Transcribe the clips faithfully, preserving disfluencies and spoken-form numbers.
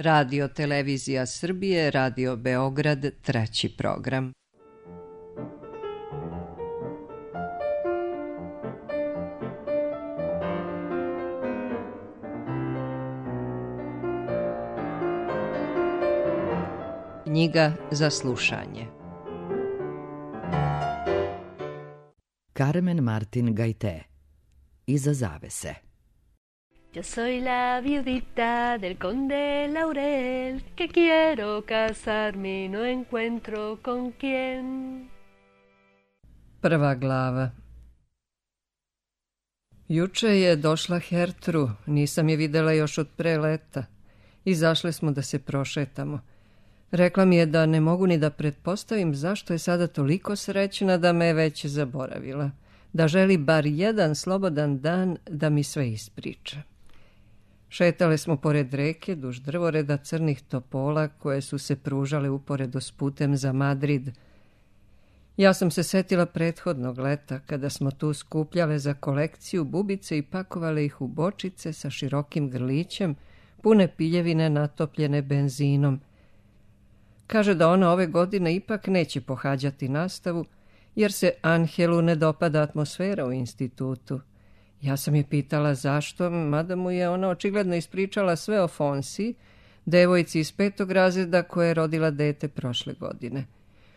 Radio Televizija Srbije, Radio Beograd, treći program. Knjiga za slušanje. Carmen Martin Gaité. Iza zavese. Yo soy la viudita del conde Laurel, que quiero casarme y no encuentro con quién. Prva glava. Juče je došla Hertru, nisam je videla još od pre leta. Izašle smo da se prošetamo. Rekla mi je da ne mogu ni da pretpostavim zašto je sada toliko srećna da me je već zaboravila. Da želi bar jedan slobodan dan da mi sve ispriča. Šetale smo pored reke, duž drvoreda crnih topola koje su se pružale uporedo s putem za Madrid. Ja sam se setila prethodnog leta, kada smo tu skupljale za kolekciju bubice i pakovale ih u bočice sa širokim grlićem, pune piljevine natopljene benzinom. Kaže da ona ove godine ipak neće pohađati nastavu, jer se Angelu ne dopada atmosfera u institutu. Ja sam je pitala zašto, mada mu je ona očigledno ispričala sve o Fonsi, devojci iz petog razreda koja je rodila dete prošle godine.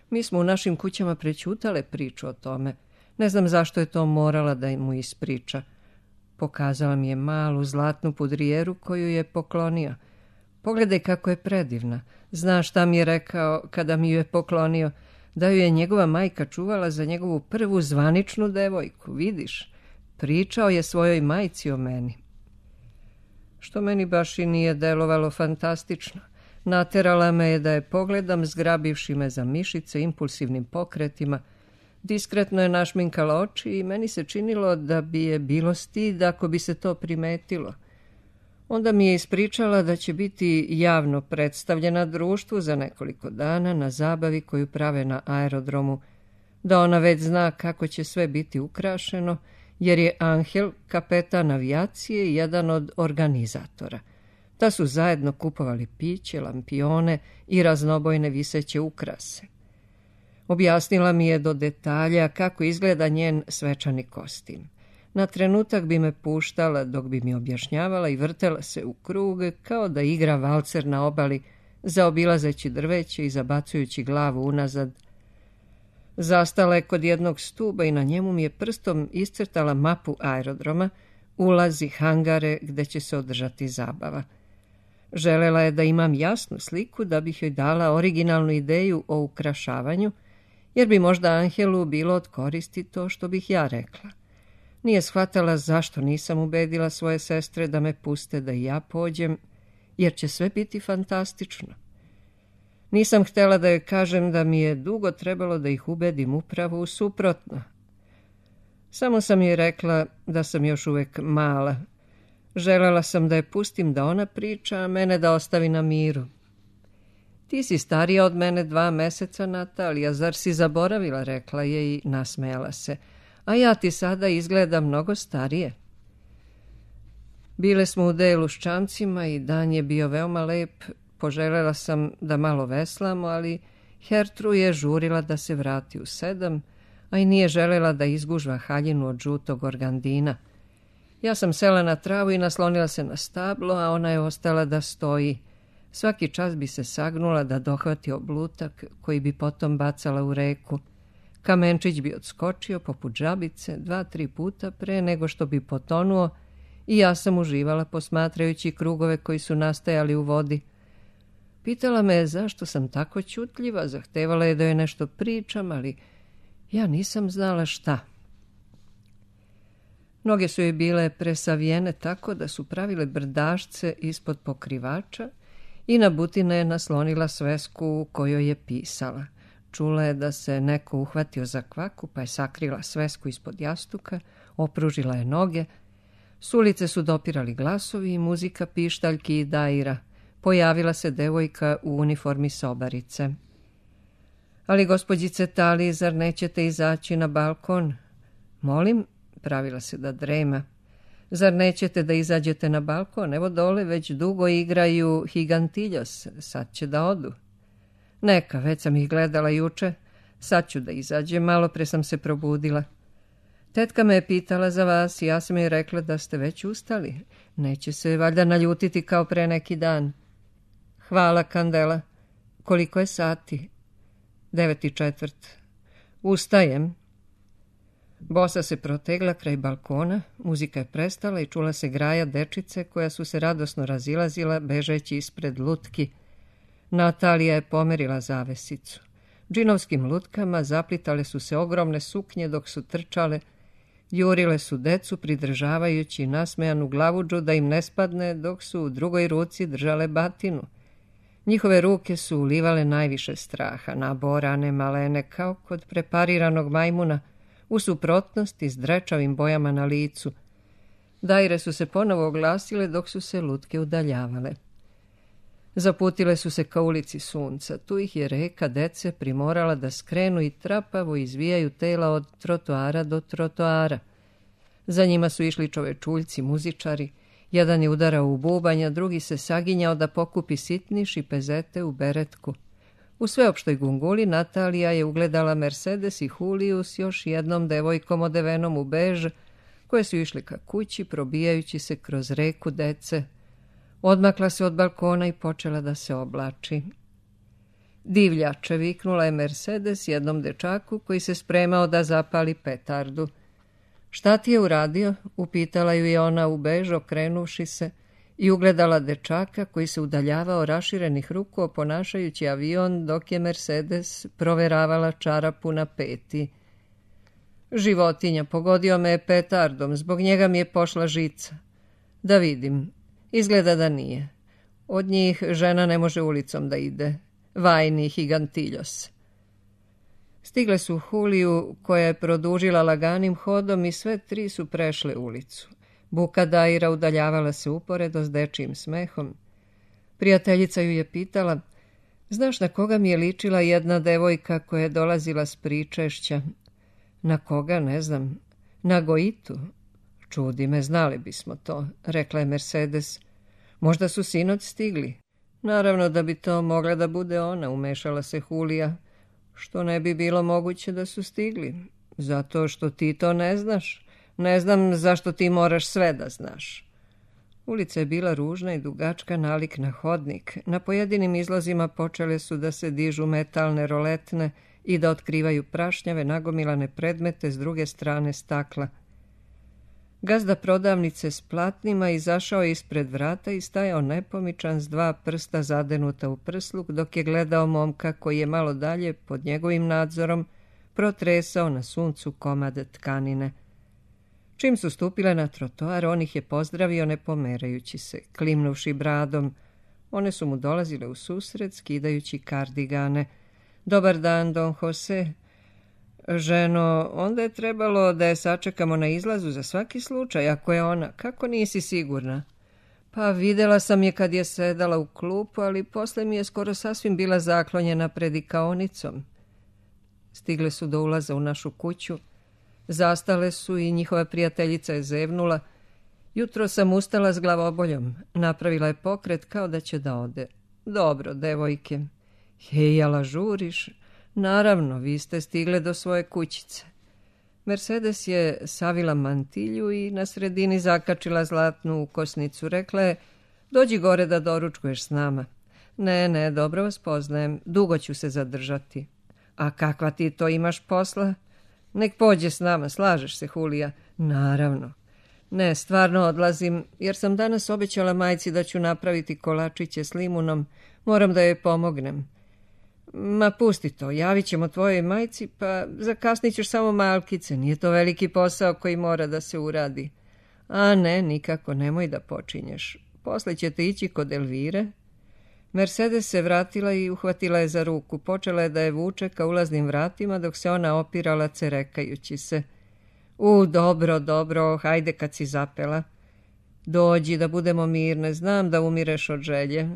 Mi smo u našim kućama prećutale priču o tome. Ne znam zašto je to morala da mu ispriča. Pokazala mi je malu zlatnu pudrijeru koju je poklonio. Pogledaj kako je predivna. Znaš šta mi je rekao kada mi ju je poklonio? Da ju je njegova majka čuvala za njegovu prvu zvaničnu devojku, vidiš? Pričao je svojoj majci o meni. Što meni baš i nije delovalo fantastično. Naterala me je da je pogledam, zgrabivši me za mišice impulsivnim pokretima. Diskretno je našminkala oči i meni se činilo da bi je bilo stid ako bi se to primetilo. Onda mi je ispričala da će biti javno predstavljena društvu za nekoliko dana na zabavi koju prave na aerodromu, da ona već zna kako će sve biti ukrašeno, jer je Angel, kapetan avijacije, i jedan od organizatora. Da su zajedno kupovali piće, lampione i raznobojne viseće ukrase. Objasnila mi je do detalja kako izgleda njen svečani kostim. Na trenutak bi me puštala dok bi mi objašnjavala i vrtela se u krug kao da igra valcer na obali, zaobilazeći drveće i zabacujući glavu unazad. Zastala je kod jednog stuba i na njemu mi je prstom iscrtala mapu aerodroma, ulazi, hangare gde će se održati zabava. Želela je da imam jasnu sliku da bih joj dala originalnu ideju o ukrašavanju, jer bi možda Angelu bilo od koristi to što bih ja rekla. Nije shvatala zašto nisam ubedila svoje sestre da me puste da i ja pođem, jer će sve biti fantastično. Nisam htjela da joj kažem da mi je dugo trebalo da ih ubedim upravo u suprotno. Samo sam joj rekla da sam još uvek mala. Želela sam da je pustim da ona priča, a mene da ostavi na miru. Ti si starija od mene dva meseca, Natalija, zar si zaboravila, rekla je i nasmejala se. A ja ti sada izgleda mnogo starije. Bile smo u delu s čamcima i dan je bio veoma lep. Poželjela sam da malo veslamo, ali Hertru je žurila da se vrati u sedam, a i nije želela da izgužva haljinu od žutog organdina. Ja sam sela na travu i naslonila se na stablo, a ona je ostala da stoji. Svaki čas bi se sagnula da dohvati oblutak koji bi potom bacala u reku. Kamenčić bi odskočio poput žabice dva, tri puta pre nego što bi potonuo i ja sam uživala posmatrajući krugove koji su nastajali u vodi. Pitala me je zašto sam tako ćutljiva, zahtevala je da joj nešto pričam, ali ja nisam znala šta. Noge su joj bile presavijene tako da su pravile brdašce ispod pokrivača i na butine je naslonila svesku u kojoj je pisala. Čula je da se neko uhvatio za kvaku, pa je sakrila svesku ispod jastuka, opružila je noge. S ulice su dopirali glasovi i muzika pištaljki i daira. Pojavila se devojka u uniformi sobarice. Ali, gospođice Tali, zar nećete izaći na balkon? Molim, pravila se da drema. Zar nećete da izađete na balkon? Evo dole već dugo igraju Higantiljos, sad će da odu. Neka, već sam ih gledala juče, sad ću da izađem, malo pre sam se probudila. Tetka me je pitala za vas i ja sam joj rekla da ste već ustali. Neće se valjda naljutiti kao pre neki dan. Hvala, Kandela. Koliko je sati? Devet i četvrt. Ustajem. Bosa se protegla kraj balkona, muzika je prestala i čula se graja dečice koja su se radosno razilazila bežeći ispred lutki. Natalija je pomerila zavesicu. Džinovskim lutkama zaplitale su se ogromne suknje dok su trčale, jurile su decu pridržavajući nasmejanu glavudžu da im ne spadne dok su u drugoj ruci držale batinu. Njihove ruke su ulivale najviše straha, naborane, malene, kao kod prepariranog majmuna, u suprotnosti s drečavim bojama na licu. Dajre su se ponovo oglasile dok su se lutke udaljavale. Zaputile su se ka ulici Sunca. Tu ih je reka dece primorala da skrenu i trapavo izvijaju tela od trotoara do trotoara. Za njima su išli čovečuljci, muzičari. Jedan je udarao u bubanja, drugi se saginjao da pokupi sitniš i pezete u beretku. U sveopštoj gunguli Natalija je ugledala Mercedes i Juliju s još jednom devojkom odevenom u bež, koje su išli ka kući, probijajući se kroz reku dece. Odmakla se od balkona i počela da se oblači. Divljače, viknula je Mercedes jednom dečaku koji se spremao da zapali petardu. Šta ti je uradio? Upitala ju je ona u bež, okrenuvši se, i ugledala dečaka koji se udaljavao raširenih ruku oponašajući avion dok je Mercedes proveravala čarapu na peti. Životinja, pogodio me je petardom, zbog njega mi je pošla žica. Da vidim, izgleda da nije. Od njih žena ne može ulicom da ide. Vajni Higantiljos. Stigle su Juliju, koja je produžila laganim hodom i sve tri su prešle ulicu. Buka Dajra udaljavala se uporedo s dečijim smehom. Prijateljica ju je pitala, znaš na koga mi je ličila jedna devojka koja je dolazila s pričešća? Na koga, ne znam. Na Goitu. Čudi me, znali bismo to, rekla je Mercedes. Možda su sinoć stigli. Naravno da bi to mogla da bude ona, umešala se Julija. Što ne bi bilo moguće da su stigli? Zato što ti to ne znaš. Ne znam zašto ti moraš sve da znaš. Ulica je bila ružna i dugačka nalik na hodnik. Na pojedinim izlazima počele su da se dižu metalne roletne i da otkrivaju prašnjave nagomilane predmete s druge strane stakla. Gazda prodavnice s platnima izašao ispred vrata i stajao nepomičan s dva prsta zadenuta u prsluk dok je gledao momka koji je malo dalje pod njegovim nadzorom protresao na suncu komad tkanine. Čim su stupile na trotoar, on ih je pozdravio ne pomerajući se, klimnuvši bradom. One su mu dolazile u susret, skidajući kardigane. Dobar dan, Don Jose. Ženo, onda je trebalo da je sačekamo na izlazu za svaki slučaj, ako je ona. Kako nisi sigurna? Pa videla sam je kad je sedala u klupu, ali posle mi je skoro sasvim bila zaklonjena pred ikaonicom. Stigle su do ulaza u našu kuću. Zastale su i njihova prijateljica je zevnula. Jutro sam ustala s glavoboljom. Napravila je pokret kao da će da ode. Dobro, devojke. Hejala, žuriš? Naravno, vi ste stigle do svoje kućice. Mercedes je savila mantilju i na sredini zakačila zlatnu ukosnicu. Rekla je, dođi gore da doručkuješ s nama. Ne, ne, dobro vas poznajem. Dugo ću se zadržati. A kakva ti to imaš posla? Nek pođe s nama, slažeš se, Julija? Naravno. Ne, stvarno odlazim, jer sam danas obećala majci da ću napraviti kolačiće s limunom. Moram da joj pomognem. Ma pusti to, javit ćemo tvojoj majci, pa zakasnit ćeš samo malkice. Nije to veliki posao koji mora da se uradi. A ne, nikako, nemoj da počinješ. Posle ćete ići kod Elvire. Mercedes se vratila i uhvatila je za ruku. Počela je da je vuče ka ulaznim vratima, dok se ona opirala cerekajući se. U, dobro, dobro, hajde kad si zapela. Dođi da budemo mirne, znam da umireš od želje.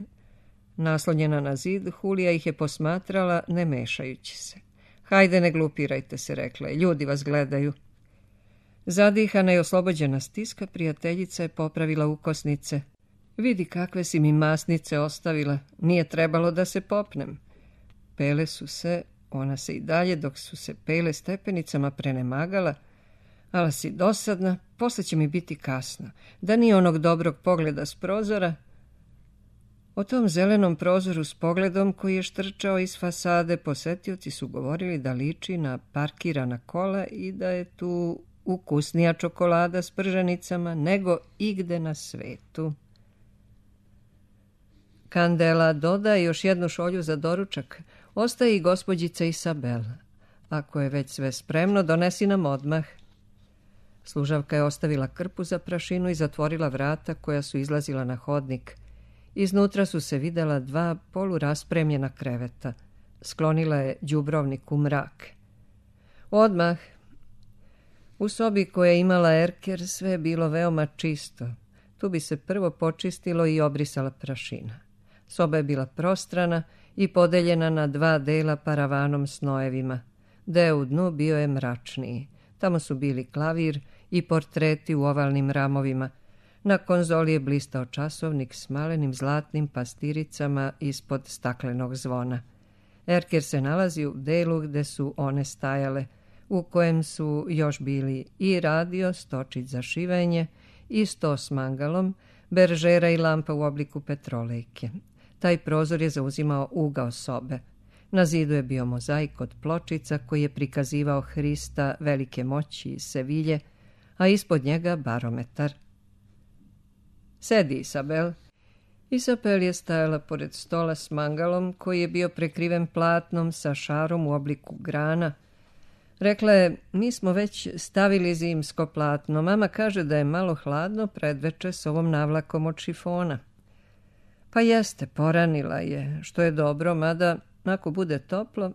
Naslonjena na zid, Julija ih je posmatrala, ne mešajući se. Hajde, ne glupirajte se, rekla je, ljudi vas gledaju. Zadihana i oslobođena stiska, prijateljica je popravila ukosnice. Vidi kakve si mi masnice ostavila, nije trebalo da se popnem. Pele su se, ona se i dalje dok su se pele stepenicama prenemagala, ali si dosadna, posle će mi biti kasno. Da nije onog dobrog pogleda s prozora. O tom zelenom prozoru s pogledom koji je štrčao iz fasade, posetioci su govorili da liči na parkirana kola i da je tu ukusnija čokolada s prženicama nego igde na svetu. Kandela doda još jednu šolju za doručak. Ostaje i gospođica Isabel. Ako je već sve spremno, donesi nam odmah. Služavka je ostavila krpu za prašinu i zatvorila vrata koja su izlazila na hodnik. Iznutra su se videla dva poluraspremljena kreveta. Sklonila je đubrovnik u mrak. Odmah. U sobi koja je imala erker sve je bilo veoma čisto. Tu bi se prvo počistilo i obrisala prašina. Soba je bila prostrana i podeljena na dva dela paravanom s nojevima. Deo u dnu bio je mračniji. Tamo su bili klavir i portreti u ovalnim ramovima. Na konzoli je blistao časovnik s malenim zlatnim pastiricama ispod staklenog zvona. Erker se nalazi u delu gde su one stajale, u kojem su još bili i radio, stočić za šivenje, i sto s mangalom, beržera i lampa u obliku petrolejke. Taj prozor je zauzimao ugao sobe. Na zidu je bio mozaik od pločica koji je prikazivao Hrista velike moći iz Sevilje, a ispod njega barometar. Sedi, Isabel. Isabel je stajala pored stola s mangalom koji je bio prekriven platnom sa šarom u obliku grana. Rekla je, mi smo već stavili zimsko platno. Mama kaže da je malo hladno predveče s ovom navlakom od šifona. Pa jeste, poranila je, što je dobro, mada ako bude toplo...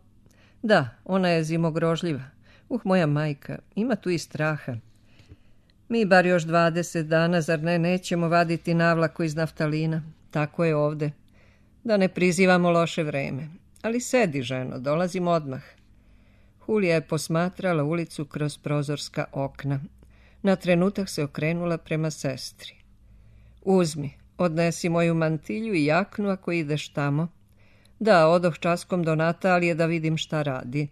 Da, ona je zimogrožljiva. Uh, moja majka, ima tu i straha. Mi bar još dvadeset dana, zar ne, nećemo vaditi navlaku iz naftalina. Tako je ovde. Da ne prizivamo loše vreme. Ali sedi, ženo, dolazim odmah. Hulija je posmatrala ulicu kroz prozorska okna. Na trenutak se okrenula prema sestri. Uzmi, odnesi moju mantilju i jaknu ako ideš tamo. Da, odoh časkom do Natalije da vidim šta radi.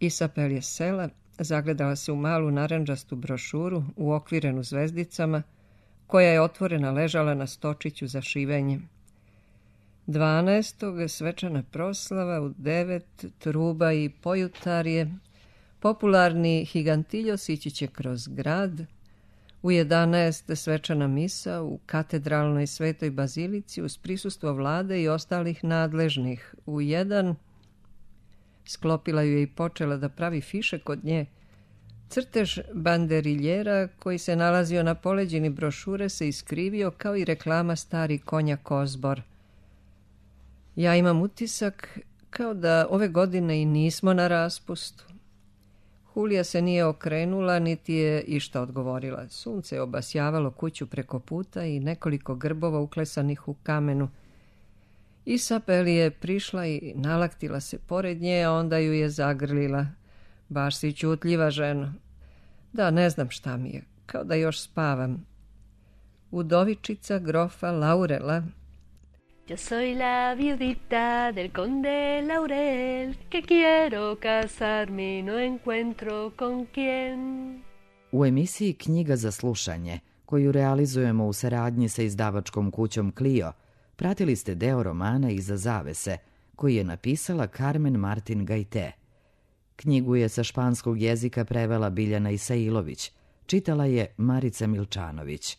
Isabel je sela, zagledala se u malu narandžastu brošuru uokvirenu zvezdicama, koja je otvorena ležala na stočiću za šivenje. Dvanaestog svečana proslava, u devet truba i pojutarje, popularni Higantiljos ići će kroz grad, u jedanaest svečana misa u katedralnoj svetoj bazilici uz prisustvo vlade i ostalih nadležnih. U jedan sklopila ju je i počela da pravi fiše kod nje. Crtež banderiljera koji se nalazio na poleđini brošure se iskrivio kao i reklama stari konja Kozbor. Ja imam utisak kao da ove godine i nismo na raspustu. Hulija se nije okrenula, niti je išta odgovorila. Sunce je obasjavalo kuću preko puta i nekoliko grbova uklesanih u kamenu. Isabel je prišla i nalaktila se pored nje, a onda ju je zagrlila. Baš si ćutljiva, ženo. Da, ne znam šta mi je, kao da još spavam. Udovičica grofa Laurela. Yo soy la viudita del conde Laurel, que quiero casarme y no encuentro con quién. U emisiji Knjiga za slušanje, koju realizujemo u saradnji sa izdavačkom kućom Clio, pratili ste deo romana Iza zavese, koji je napisala Carmen Martin Gajte. Knjigu je sa španskog jezika prevela Biljana Isailović, čitala je Marica Milčanović.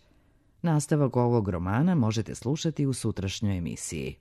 Nastavak ovog romana možete slušati u sutrašnjoj emisiji.